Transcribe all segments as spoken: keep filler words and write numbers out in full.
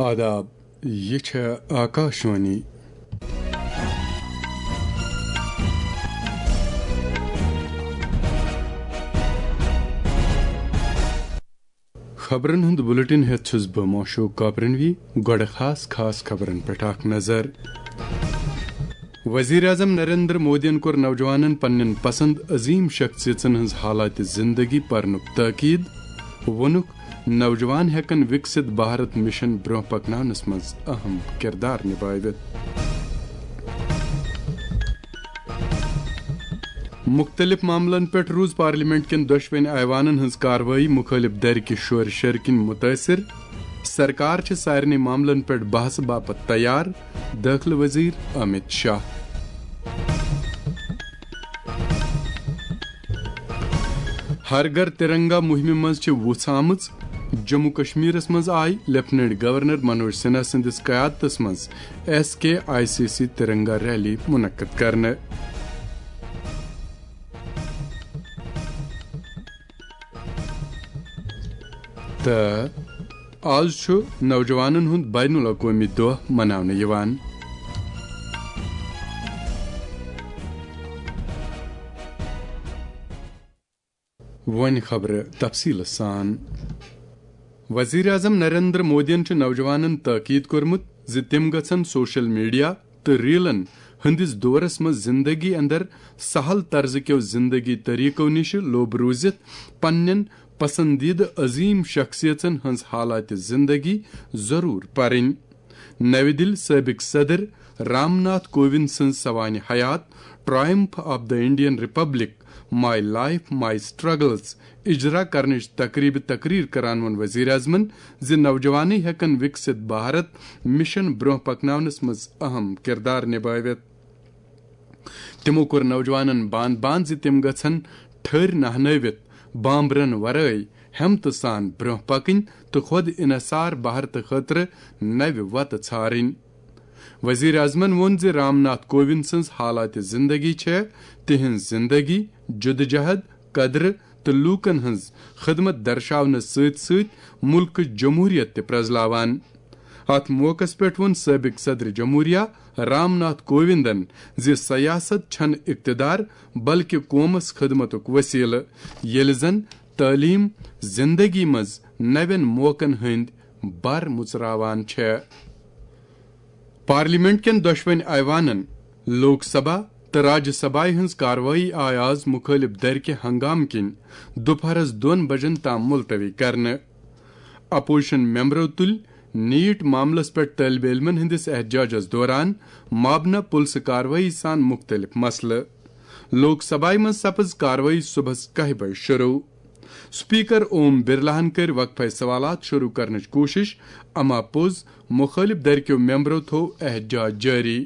آداب، یہِ چھےٚ آکاشوانی۔ خبرن ہُنٛد بلیٹن ہٮ۪تھ چھُس بہٕ موشوق کاپرنوی۔ گۄڈٕ خاص خاص خبرن پٮ۪ٹھ اکھ نظر۔ وزیر اعظم نریندر مودیَن کوٚر نوجوانن پننٮ۪ن پسند عظیم شخصیژن ہٕنٛز حالات زندگی پرنُک تاکید۔ ووٚنُکھ، نوجوان ہٮ۪کن وکست بھارت مشن برونٛہہ پکناونس منٛز اہم کردار نبٲوِتھ۔ مُختٔلِف معاملن پٮ۪ٹھ روٗز پارلیمنٹ کٮ۪ن دۄشوٕنی ایوانن ہٕنٛز کاروٲیی مُخٲلِف دھرِ کہِ شورٕ شرٕ کِنۍ مُتٲثِر۔ سرکار چھِ سارنٕے معاملن پٮ۪ٹھ بحثہٕ باپتھ تیار، دٲخلہٕ وزیر امیت شاہ۔ ہر گھر ترنگا مُہِمہِ منٛز چھِ وُژھ آمٕژ۔ جموں کشمیرس منٛز آیہِ لیفٹیننٹ گورنر منوج سنہا سٕنٛدِس قیادتس منٛز S K I C C Tiranga rally منعقد کرنہٕ۔ تہٕ آز چھُ نوجوانن ہُنٛد بین الاقوٲمی دۄہ مناونہٕ یِوان۔ وۄنۍ خبرٕ تفصیٖلہٕ سان۔ وزیر اعظم نریندر مودیَن چھُ نوجوانَن تاکید کوٚرمُت زِ تِم گژھن سوشل میڈیا تہٕ ریلن ہٕنٛدِس دورس منٛز زندگی اندر سہل طرزٕ کیو زندگی طریقو نِش لوٚب روٗزِتھ پننٮ۪ن پسندیدٕ عظیم شخصیژن ہٕنٛز حالات زندگی ضروٗر پرٕنۍ۔ نَوِ دِلہِ سٲبِق صدر رام ناتھ کووِند سٕنٛز سوانح حیات Triumph of the Indian Republic: My Life, My Struggles اجرا کرنٕچ تقریبہِ تقریر کران ووٚن وزیر اعظمن زِ نوجوانٕے ہٮ۪کن وکست بھارت مشن برونٛہہ پکناونس منٛز اہم کردار نبٲوِتھ۔ تِمو کوٚر نوجوانن بان بان زِ تِم گژھن ٹھٔرۍ نہنٲوِتھ، بامبرن ورٲے ہمتہٕ سان برونٛہہ پکٕنۍ تہٕ خۄد انحصار بھارتہٕ خٲطرٕ نوِ وتہٕ ژھارٕنۍ۔ وزیر اعظمن ووٚن زِ رام ناتھ کووِند سٕنٛز حالات زندگی چھےٚ تِہنٛز زندگی، جدوجہد، قدرٕ تہٕ لوٗکن ہٕنٛز خدمت درشاونس سۭتۍ سۭتۍ مُلکٕچ جمہوریت تہِ پرٛزلاوان۔ اتھ موقعس پٮ۪ٹھ ووٚن سٲبق صدر جمہوریہ رام ناتھ کووِندن زِ سیاست چھنہٕ اقتدار بلکہ قومس خدمتُک وسیلہٕ، ییٚلہِ زن تعلیم زندگی منٛز نوٮ۪ن موقعن ہٕنٛدۍ بر مُژراوان چھےٚ۔ پارلیمنٹ کٮ۪ن دۄشوٕنۍ ایوانن، لوک سبھا تہٕ راجیہ سبھایہ ہٕنٛز کاروٲیی آیہِ آز مُخٲلِف دھرِ کہِ ہنگامہٕ کِنۍ دُپہرس دۄن بجن تام ملتوی کرنہٕ۔ اپوزیشن ممبرو تُلۍ نیٹ معاملس پٮ۪ٹھ طٲلبہِ علمن ہٕنٛدِس احتجاجس دوران مابنہ پُلسہٕ کاروٲیی سان مُختٔلِف مسلہٕ۔ لوک سبھایہ منٛز سپٕز کاروٲیی صبحس کاہہِ بجہِ شروع۔ سپیکر اوم برلاہن کٔرۍ وقفے سوالات شروع کرنٕچ کوٗشش، اما پوٚز مُخٲلِف دھرِ کیو ممبرو تھوو احتجاج جٲری۔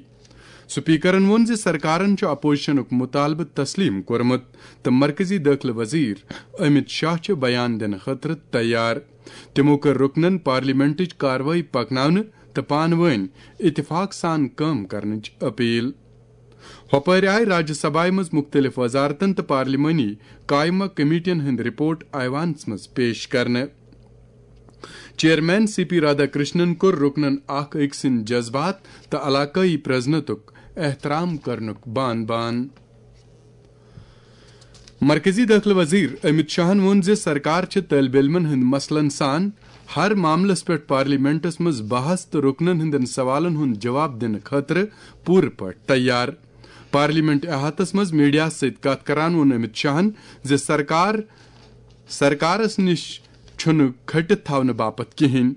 سپیکرن ووٚن زِ سرکارن چھُ اپوزیشنُک مطالبہٕ تسلیم کوٚرمُت تہٕ مرکزی دٲخلہٕ وزیر امیت شاہ چھِ بیان دِنہٕ خٲطرٕ تیار۔ تِمو کٔر رُکنن پارلیمنٹٕچ کاروٲیی پکناونہٕ تہٕ پانہٕ وٲنۍ اتفاق سان کٲم کرنٕچ اپیل۔ ہۄپٲرۍ آیہِ راجیہ سبھایہ منٛز مُختٔلِف وزارتن تہٕ پارلیمانی قائمہ کمیٹین ہٕنٛدۍ رپورٹ ایوانس منٛز پیش کرنہٕ۔ Chairman C P Radhakrishnan کوٚر رُکنن اکھ أکۍ سٕنٛدۍ جذبات تہٕ علاقٲیی پرزنتُک احترام کرنُک بان بان۔ مرکزی دٲخلہٕ وزیر امیت شاہن ووٚن زِ سرکار چھِ طٲلبہِ علمن ہٕنٛدۍ مسلن سان ہر معاملس پٮ۪ٹھ پارلیمنٹس منٛز بحث تہٕ رُکنن ہٕنٛدٮ۪ن سوالن ہُنٛد جواب دِنہٕ خٲطرٕ پوٗرٕ پٲٹھۍ تیار۔ پارلیمنٹ احاطس منٛز میڈیاہس سۭتۍ کتھ کران ووٚن امیت شاہن زِ سرکار سرکارس نِش چھُنہٕ کھٔٹِتھ تھاونہٕ باپتھ کِہینۍ۔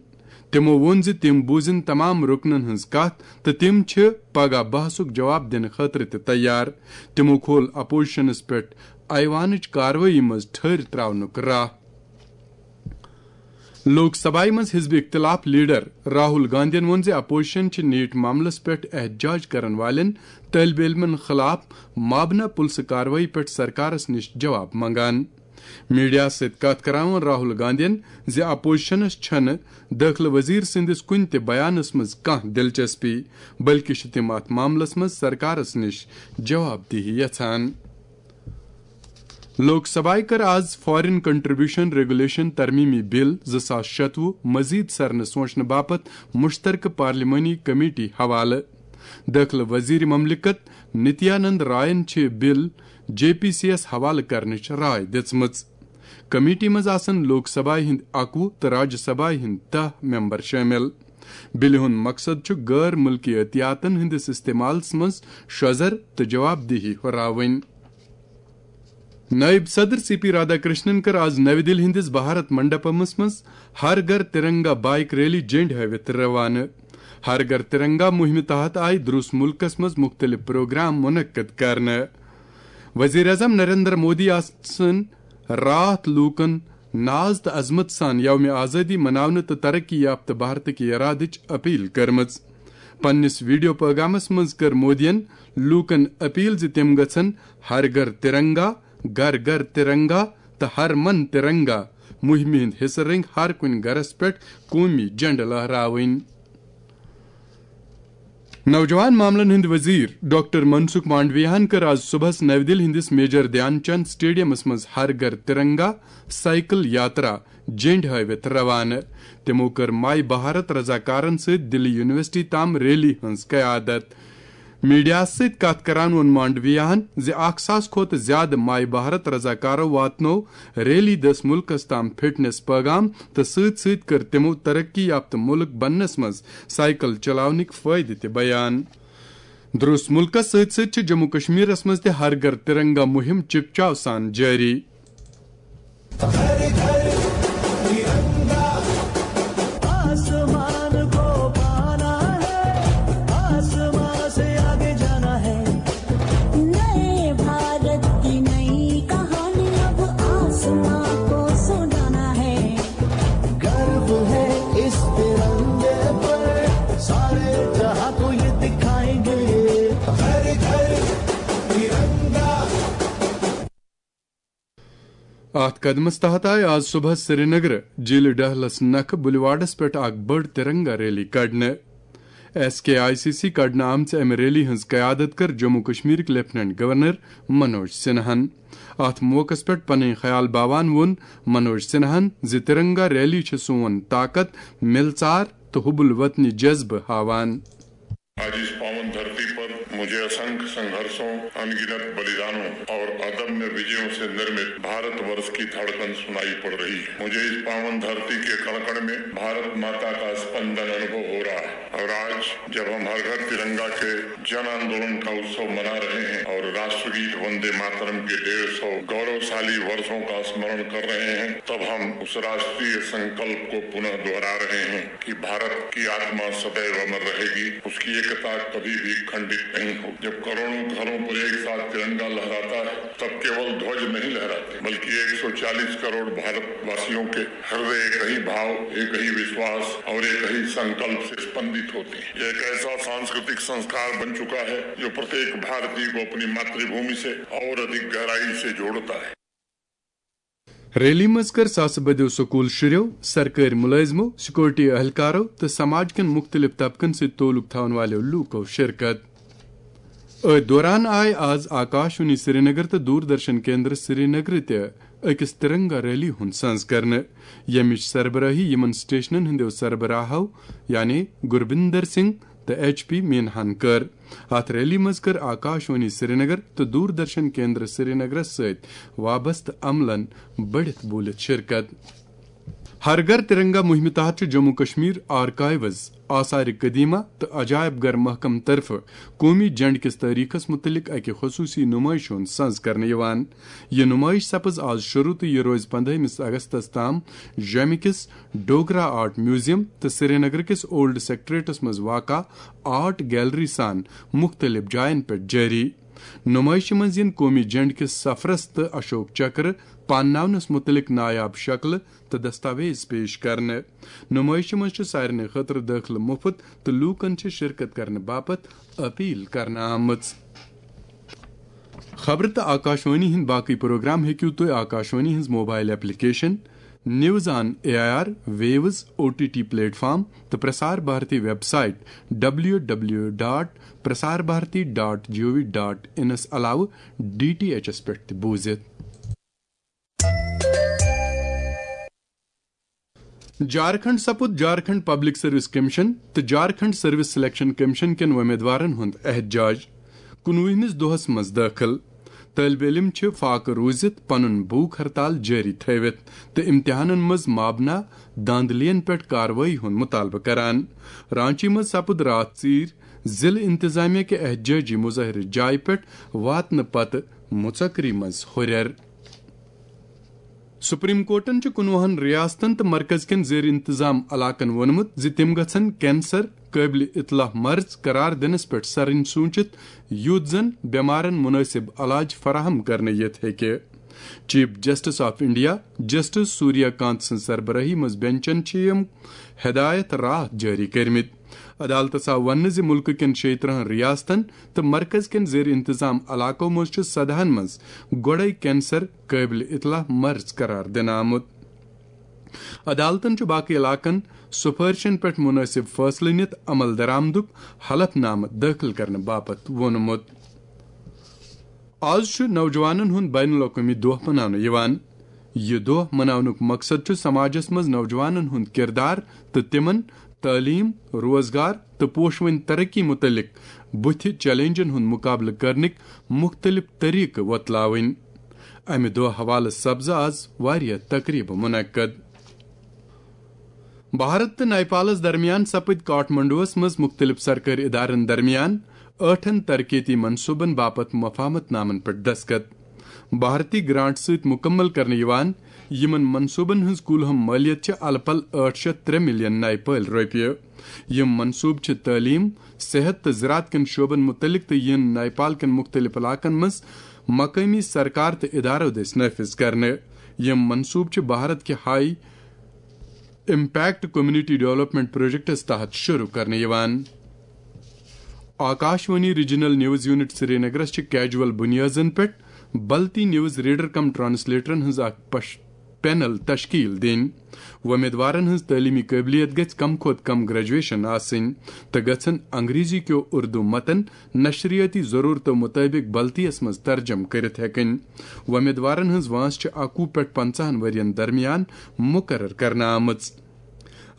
تِمو ووٚن زِ تِم بوٗزِن تمام رُکنن ہٕنٛز کتھ تہٕ تِم چھِ پگاہ بحثُک جواب دِنہٕ خٲطرٕ تہِ تیار۔ تِمو کھول اپوزیشنس پٮ۪ٹھ ایوانٕچ کاروٲیی منٛز ٹھٔرۍ تراونُک راہ۔ لوک سبھایہ منٛز حزب اختلاف لیڈر راہل گاندھین ووٚن زِ اپوزیشن چھِ نیٹ معاملس پٮ۪ٹھ احتجاج کرن والٮ۪ن طٲلبہِ علمن خلاف مابنہ پُلسہٕ کاروٲیی پٮ۪ٹھ سرکارس نِش جواب منگان۔ میڈیاہس سۭتۍ کتھ کران ووٚن راہل گاندھین زِ اپوزیشنس چھنہٕ دٲخلہٕ وزیر سٕنٛدِس کُنہِ تہِ بیانس منٛز کانٛہہ دلچسپی، بلکہِ چھِ تِم اتھ معاملس منٛز سرکارس نِش جواب دہی یژھان۔ لوک سبھایہ کٔر آز فارین کنٹریبیوشن ریگولیشن ترمیمی بل زٕ ساس شتوُہ مزید سرنہٕ سونچنہٕ باپتھ مشترکہٕ پارلیمانی کمیٹی حوالہٕ۔ دٲخلہٕ وزیر مملکت نتیانند راین چھِ بل جے پی سی یس حوالہٕ کرنٕچ راے دِژمٕژ۔ کمیٹی منٛز آسن لوک سبھایہ ہٕنٛدۍ اکوُہ تہٕ راجیہ سبھایہ ہٕنٛدۍ دَہ ممبر شٲمِل۔ بلہِ ہُنٛد مقصد چھُ غٲر مُلکی عطیاتن ہٕنٛدِس استعمالس منٛز شۄزر تہٕ جواب دہی ہُراوٕنۍ۔ نائب صدر سی پی رادھا کرشنن کٔر آز نَوِ دِلہِ ہٕنٛدِس بھارت منڈپمس منٛز ہر گھر ترنگا بائیک ریلی جنڈ ہٲوِتھ روانہٕ۔ ہر گھر ترنگا مُہِمہِ تحت آیہِ دروس مُلکس منٛز مُختٔلِف پروگرام منعقد کرنہٕ۔ وزیر اعظم نریندر مودی آسن راتھ لوٗکن ناز تہٕ عظمت سان یوم آزادی مناونہٕ تہٕ ترقی یافتہٕ بھارتٕکۍ ارادٕچ اپیل کٔرمٕژ۔ پننِس ویڈیو پیغامس منٛز کٔر مودیَن لوٗکن اپیل زِ تِم گژھن ہر گھر ترنگا، گھر گھر ترنگا تہٕ ہر من ترنگا مُہِمہِ ہٕنٛدۍ حصہٕ رٔنگۍ ہر کُنہِ گھرس پٮ۪ٹھ قومی جھنڈٕ لہراوٕنۍ۔ نوجوان معاملن ہٕنٛدۍ وزیر ڈاکٹر منسکھ مانڈویاہن کٔر آز صبحس نَوِ دِلہِ ہٕنٛدِس میجر دھیان چند سٹیڈیمس منٛز ہر گھر ترنگا سائیکل یاترا جنڈ ہٲوِتھ روانہٕ۔ تِمو کٔر مائی بھارت رضاکارن سۭتۍ دِلہِ یونیورسٹی تام ریلی ہٕنٛز قیادت۔ میڈیاہس سۭتۍ کتھ کران ووٚن مانڈویاہن زِ اکھ ساس کھۄتہٕ زیادٕ مائی بھارت رضاکارو واتنوو ریلی دٔسۍ مُلکس تام فٹنس پیغام تہٕ سۭتۍ سۭتۍ کٔر تِمو ترقی یافتہٕ مُلک بننس منٛز سائیکل چلاونٕکۍ فٲیدٕ تہِ بیان۔ درست مُلکس سۭتۍ سۭتۍ چھِ جموں کشمیرس منٛز تہِ ہر گھر ترنگا مُہِم چکچاو سان جٲری۔ आसमान को पाना है, आसमान से आगे जाना है। नए भारत की नई कहानी अब आसमान को सुनाना है। गर्व है इस तिरंगे पर, सारे जहां को ये दिखाएंगे। हर घर तिरंगा। اتھ قدمس تحت آیہِ آز صبحس سرینگرٕ جیٖلہِ ڈہلس نکھٕ بُلواڈس پٮ۪ٹھ اکھ بٔڑ ترنگا ریلی کڑنہٕ۔ S K I C C کڑنہٕ آمژِ امہِ ریلی ہٕنٛز قیادت کٔر جموں کشمیرٕکۍ لیفٹیننٹ گورنر منوج سنہاہن۔ اتھ موقعس پٮ۪ٹھ پنٕنۍ خیال باوان ووٚن منوج سنہاہن زِ ترنگا ریلی چھِ سون طاقت، مِلژار تہٕ حب الوطنی جذبہٕ ہاوان۔ आज इस पावन धरती पर मुझे असंख्य संघर्षों, अनगिनत बलिदानों और अदम्य विजयों से निर्मित भारतवर्ष की धड़कन सुनाई पड़ रही है। मुझे इस पावन धरती के कण-कण में भारत माता का स्पंदन अनुभव हो रहा है। और आज जब हम हर घर तिरंगा के जन आंदोलन का उत्सव मना रहे हैं और राष्ट्रगीत वंदे मातरम के डेढ़ सौ गौरवशाली वर्षों का स्मरण कर रहे हैं, तब हम उस राष्ट्रीय संकल्प को पुनः दोहरा रहे हैं कि भारत की आत्मा सदैव अमर रहेगी, उसकी एकता कभी भी खंडित नहीं होगी। जब करोड़ों घरों पर एक साथ तिरंगा लहराता है, तब केवल ध्वज नहीं लहराते, बल्कि एक सौ चालीस करोड़ भारतवासियों के हृदय एक ही भाव, एक ही विश्वास और एक ही संकल्प से स्पंदित होते हैं। यह एक ऐसा सांस्कृतिक संस्कार बन चुका है, जो प्रत्येक भारतीय को अपनी मातृभूमि से और अधिक गहराई से जोड़ता है। ریلی منٛز کٔر ساسہٕ بٔدیو سکول شُرٮ۪و، سرکٲرۍ مُلٲزمو، سیکورٹی اہلکارو تہٕ سماج کٮ۪ن مُختٔلِف طبقن سۭتۍ تعلق تھاون والٮ۪و لوٗکو شرکت۔ أتھۍ دوران آیہِ آز آکاشوانی سرینگر تہٕ دوردرشن کیندر سرینگر تہِ أکِس ترنگا ریلی ہُنٛد سنز کرنہٕ، ییٚمِچ سربرٲہی یِمن سٹیشنن ہٕنٛدٮ۪و سربراہو یعنی گربندر سنگھ تہٕ ایچ پی مینہن کٔر۔ اتھ ریلی منٛز کٔر آکاشوانی سرینگر تہٕ دوردرشن کیندر سرینگرس سۭتۍ وابستہٕ عملن بٔڑِتھ بوٗلِتھ شرکت۔ ہر گھر ترنگا مُہِمہِ تحت چھُ جموں کشمیر آرکائیوز، آثار قدیمہ تہٕ عجائب گھر محکمہٕ طرفہٕ قومی جھنڈٕ کِس تٲریخس مُتعلق اکہِ خصوٗصی نُمٲیشہِ ہُنٛد سنز کرنہٕ یِوان۔ یہِ نُمٲیش سپٕز آز شروع تہٕ یہِ روزِ پندہٲیمِس اگستس تام جوٚمہِ کِس ڈوگرا آرٹ میوزیم تہٕ سرینگر کِس اولڈ سیکٹریٹس منٛز واقع آرٹ گیلری سان مُختٔلِف جاین پٮ۪ٹھ جٲری۔ نُمٲیشہِ منٛز یِن قومی جھنڈٕ کِس سفرس تہٕ اشوک چکرٕ پانناونس مُتعلق نایاب شکلہٕ تہٕ دستاویز پیش کرنہٕ۔ نُمٲیشہِ منٛز چھُ سارنٕے خٲطرٕ دٲخلہٕ مُفت تہٕ لوٗکن چھِ شرکت کرنہٕ باپتھ اپیل کرنہٕ آمٕژ۔ خبرٕ تہٕ آکاشوانی ہٕنٛدۍ باقٕے پروگرام ہیٚکِو تُہۍ آکاشوانی ہٕنٛز mobile application, news on A I R, views, O T T platform تہٕ Prasar Bharati website W W dot Prasar Bharati dot G O V dot انس علاوٕ ڈی ٹی ایچ ایس پٮ۪ٹھ تہِ بوٗزِتھ۔ جھارکھنڈ سپُد جھارکھنڈ پبلک سروس کمیشن تہٕ جھارکھنڈ سروس سلیکشن کمیشن کٮ۪ن وۄمیدوارن ہُنٛد احتجاج۔ کُنوُہمِس دۄہس منٛز دٲخل۔ طٲلبہِ علم چھِ فاقہٕ روٗزِتھ پنُن بھوٗک ہڑتال جٲری تھٲوِتھ تہٕ امتحانن منٛز مابنا دھاندلیَن پٮ۪ٹھ کاروٲیی ہُنٛد مُطالبہٕ کران۔ رانچی منٛز سپُد راتھ ژیٖرۍ ضلعہٕ انتظامیہ کہِ احتجاجی مظٲہرٕ جایہِ پٮ۪ٹھ واتنہٕ پتہٕ مُژکری منٛز ہُرٮ۪ر۔ سپریم کورٹن چھُ کُنوُہن ریاستن تہٕ مرکز کٮ۪ن زیر انتظام علاقن ووٚنمُت زِ تِم گژھن کینسر قٲبلِ اطلاع مرض قرار دِنس پٮ۪ٹھ سرٕنۍ سوٗنچِتھ، یُتھ زن بٮ۪مارن مُنٲسِب علاج فراہم کرنہٕ یِتھ ہیٚکہِ۔ Chief justice of India justice Surya Kant سٕنٛز سربرٲہی منٛز بینچن چھِ یِم ہدایت راتھ جٲری کٔرمٕتۍ۔ عدالتس آو وننہٕ زِ مُلکہٕ کٮ۪ن شیٚیہِ ترٕٛہن ریاستن تہٕ مرکز کٮ۪ن زیر انتظام علاقو منٛز چھُ سدہن منٛز گۄڈے کینسر قٲبلِ اطلاع مرض قرار دِنہٕ آمُت۔ عدالتن چھُ باقٕے علاقن سفٲرشن پٮ۪ٹھ مُنٲسِب فٲصلہٕ نِتھ عمل درآمدُک حلف نامہٕ دٲخل کرنہٕ باپتھ ووٚنمُت۔ آز چھُ نوجوانن ہُنٛد بین الاقوٲمی دۄہ مناونہٕ یِوان۔ یہِ دۄہ مناونُک مقصد چھُ سماجس منٛز نوجوانن ہُنٛد کردار تہٕ تِمن تعلیٖم، روزگار تہٕ پوشوٕنۍ ترقی مُتعلق بُتھِ چیلنجن ہُنٛد مُقابلہٕ کرنٕکۍ مُختٔلِف طریقہٕ وۄتلاوٕنۍ۔ امہِ دۄہ حوالہٕ سپزٕ آز واریاہ تقریبہٕ منعقد۔ بھارت تہٕ نیپالس درمیان سپٕدۍ کاٹھمنڈوس منٛز مُختٔلِف سرکٲرۍ ادارن درمیان ٲٹھن ترقیتی منصوبن باپتھ مفاہمت نامن پٮ۪ٹھ دستخط۔ بھارتی گرانٹ سۭتۍ مکمل کرنہٕ یِوان۔ یِمن منصوبن ہٕنٛز کُل ہم مٲلیت چھِ الہٕ پلہٕ ٲٹھ شیٚتھ ترٛےٚ ملین نیپٲلۍ رۄپیہِ۔ یِم منصوبہٕ چھِ تعلیٖم، صحت تہٕ زراعت کٮ۪ن شعبن مُتعلق تہٕ یِن نیپال کٮ۪ن مُختٔلِف علاقن منٛز مقٲمی سرکار تہٕ ادارو دٔسۍ نافذ کرنہٕ۔ یِم منصوبہٕ چھِ بھارت کہِ high impact community development projects تحت شروع کرنہٕ یِوان۔ آکاشوانی ریجنل نیوز یونٹ سرینگرس چھِ کیجول بنیادن پٮ۪ٹھ بلتی نیوز ریڈر کم ٹرانسلیٹرن ہٕنٛز اکھ پش-، پینل تشکیل دِنۍ۔ وۄمیدوارن ہٕنٛز تعلیمی قٲبلیت گژھِ کم کھۄتہٕ کم گریجویشن آسٕنۍ تہٕ گژھن انگریزی کیو اردو متن نشریٲتی ضرورتو مُطٲبِق بلتیس منٛز ترجمہٕ کٔرِتھ ہٮ۪کٕنۍ۔ وۄمیدوارن ہٕنٛز وٲنٛس چھِ اَکوُہ پٮ۪ٹھ پنٛژاہن ؤرین درمیان مُقرر کرنہٕ آمٕژ۔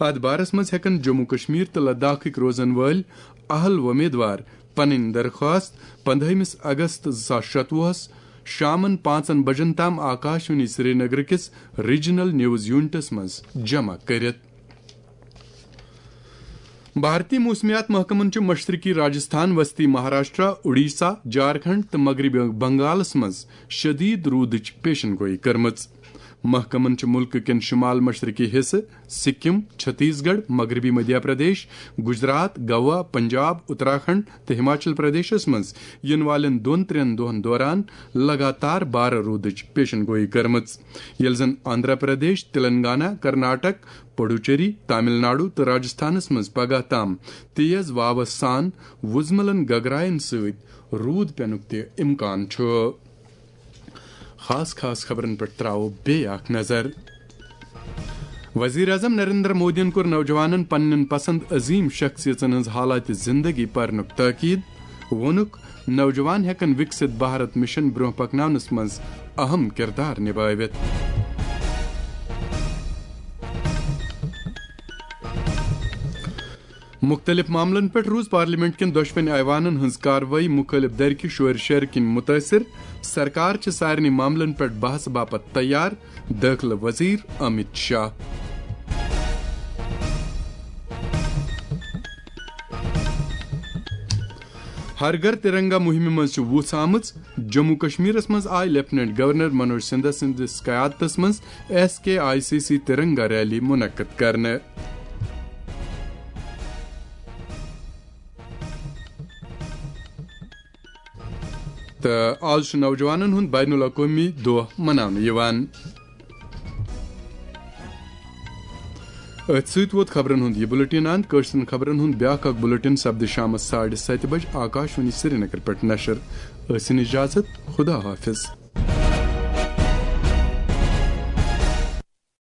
اتھ بارس منٛز ہٮ۪کن جموں کشمیر تہٕ لداخٕکۍ روزن وٲلۍ اہل وۄمیدوار پنٕنۍ درخواست پندہٲیمِس اگست زٕ ساس شتوُہس شامن پانٛژن بجن تام آکاشوانی سرینگر کِس ریجنل نیوز یونٹس منٛز جمع کٔرِتھ۔ بھارتی موسمیات محکمن چھُ مشرقی راجستھان، وسطی مہاراشٹرا، اڈیشہ، جھارکھنڈ تہٕ مغربی بنگالس منٛز شدید روٗدٕچ پیشن گویی کٔرمٕژ۔ محکمن چھُ مُلکہٕ کٮ۪ن شمال مشرقی حصہٕ، سکم، چھتیس گڑھ، مغربی مدھیہ پردیش، گجرات، گوا، پنجاب، اتراکھنڈ تہٕ ہماچل پردیشس منٛز یِنہٕ والٮ۪ن دۄن ترٛٮ۪ن دۄہن دوران لگاتار بارٕ روٗدٕچ پیشن گویی کٔرمٕژ، ییٚلہِ زن آندھرا پردیش، تلنگانہ، کرناٹک، پڈوچیری، تامل ناڈو تہٕ راجستھانس منٛز پگاہ تام تیز واوس سان وُزملن گگراین سۭتۍ روٗد پینُک تہِ امکان چھُ۔ خاص خاص خبرن پٮ۪ٹھ تراوو بیٚیہِ اکھ نظر۔ وزیر اعظم نریندر مودیَن کوٚر نوجوانَن پننٮ۪ن پسند عظیم شخصیژن ہٕنٛز حالات زندگی پرنُک تاکید۔ ووٚنُکھ، نوجوان ہٮ۪کن وکست بھارت مشن برونٛہہ پکناونس منٛز اہم کردار نبٲوِتھ۔ مُختٔلِف معاملن پٮ۪ٹھ روٗز پارلیمنٹ کٮ۪ن دۄشوٕنی ایوانن ہٕنٛز کاروٲیی مُخٲلِف دھرِ کہِ شورِ شرِ کِنۍ مُتٲثِر۔ سرکار چھِ سارنٕے معاملن پٮ۪ٹھ بحث باپتھ تیار، دٲخلہٕ وزیر امت شاہ۔ ہر گھر ترنگا مُہِمہِ منٛز چھِ وُژھ آمٕژ۔ جموں کشمیرس منٛز آیہِ لیفٹیننٹ گورنر منوج سندھا سٕنٛدِس قیادتس منٛز S K I C C Tiranga rally منعقد کرنہٕ۔ تہٕ آز چھُ نوجوانن ہُنٛد بین الاقوٲمی دۄہ مناونہٕ یِوان۔ أتھۍ سۭتۍ ووت خبرن ہُنٛد یہِ بُلٹن اند۔ کٲشرٮ۪ن خبرن ہُنٛد بیٛاکھ اکھ بُلٹن سپدِ شامس ساڑِ ستہِ بجہِ آکاشوانی سرینگر پٮ۪ٹھ نشر۔ ٲسِن اجازت، خدا حافظ۔